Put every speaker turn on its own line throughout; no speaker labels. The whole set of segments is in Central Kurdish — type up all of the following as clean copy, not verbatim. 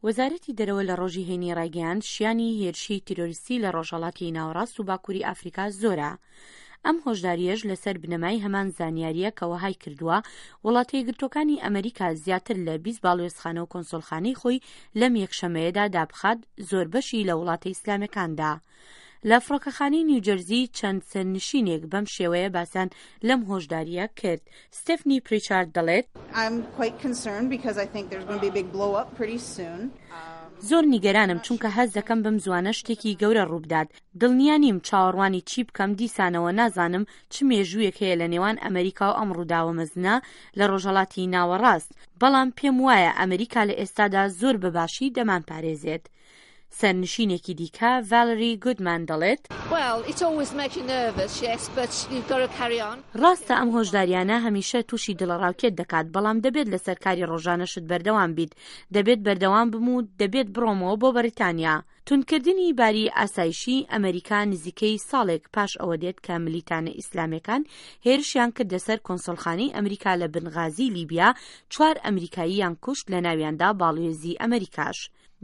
وەزارەتی دەرەوە لە ڕۆژی هەینی ڕایگەیاند شیانی هێرشی تیرۆریستی لە ڕۆژهەڵاتی ناوەڕاست و باکووری ئافریکا زۆرە. ئەم هۆشدارییەش لەسەر بنەمای هەمان زانیارییە کە وەهای کردووە وڵاتە یەکگرتووەکانی ئەمریکا زیاتر لە 20 باڵوێزخانە و کۆنسۆلخانەی خۆی لەم یەکشەمەیەدا دابخات زۆربەشی لە وڵاتە ئیسلامەکاندا. لە فڕۆکەخانەی نیوجەرزی چەند سەرنشینێک بەم شێوەیە باسیان لەم هۆشدارییە کرد. ستێفنی پریچارد دەڵێت، زۆر نیگەرانم چونکە هەست دەکەم بەم زووانە شتێکی گەورە ڕووبدات. دڵنیا نیم چاوەڕوانی چی بکەم، دیسانەوە نازانم چ مێژوویەک هەیە لە نێوان ئەمریکا و ئەم ڕووداوە مەزنە لە ڕۆژهەڵاتی ناوەڕاست، بەڵام پێم وایە ئەمریکا لە ئێستادا زۆر بە باشی دەمانپارێزێت. سەرنشینێکی دیکە، ڤالری گودمان دەڵێت، ڕاستە ئەم هۆشدارییانە هەمیشە تووشی دڵەڕاوکێت دەکات، بەڵام دەبێت لەسەر کاری ڕۆژانەشت بەردەوام بیت. دەبێت بەردەوام بم و دەبێت بڕۆمەوە بۆ بەریتانیا. توندکردنی باری ئاسایشی ئەمریکا نزیکەی ساڵێک پاش ئەوە دێت کە ملیتانە ئیسلامێکان هێرشیان کردە سەر کۆنسۆلخانەی ئەمریکا لە بنغازی لیبیا، چوار ئەمریکاییان کوشت لەناویاندا باڵوێزی ئەمریکاش.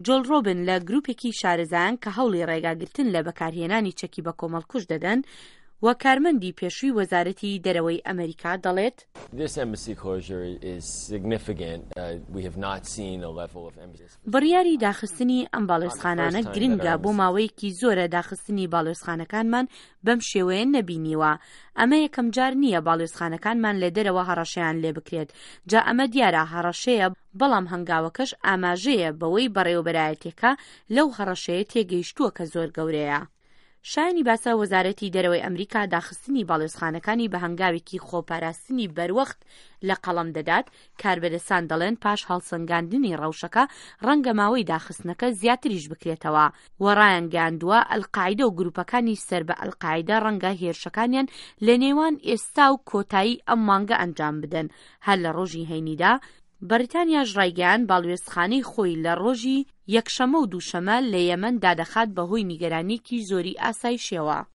جۆل ڕۆبن لە گروپێکی شارەزایان کە هەوڵی ڕێگاگرتن لە بەکارهێنانی چەکی بەکۆمەڵکوژ دەدەن و کارمەندی پێشووی وەزارەتی دەرەوەی ئەمەریکا دەڵێت، بڕیاری داخستنی ئەم باڵێزخانانە گرنگە، بۆ ماوەیەکی زۆرە داخستنی باڵێزخانەکانمان بەم شێوەیە نەبینیوە، ئەمە یەکەمجار نییە باڵیۆزخانەکانمان لە دەرەوە هەڕەشەیان لێبکرێت، جا ئەمە دیارە هەڕەشەیە، بەڵام هەنگاوەکەش ئاماژەیە بەوەی بەڕێوەبەرایەتیەکە لەو هەڕەشەیە تێگەیشتووە کە زۆر گەورەیە. شایانی باسە وەزارەتی دەرەوەی ئەمریکا داخستنی باڵیۆزخانەکانی بە هەنگاوێکی خۆپاراستنی بەروەخت لە قەڵەم دەدات، کاربەدەستان دەڵێن پاش هەڵسەنگاندنی ڕەوشەکە ڕەنگە ماوەی داخستنەکە زیاتریش بکرێتەوە و ڕایانگەیاندووە ئەلقاعیدە و گروپەکانی سەر بە ئەلقاعیدە ڕەنگە هێرشەکانیان لە نێوان ئێستا و کۆتایی ئەم مانگە ئەنجام بدەن هەر لە ڕۆژی هەینیدا بەریتانیاش ڕایگەیاند باڵوێزخانەی خۆی لە ڕۆژی یەکشەمە و دووشەمە لە یەمەن دادەخات بەهۆی نیگەرانیەکی زۆری ئاسایشیەوە.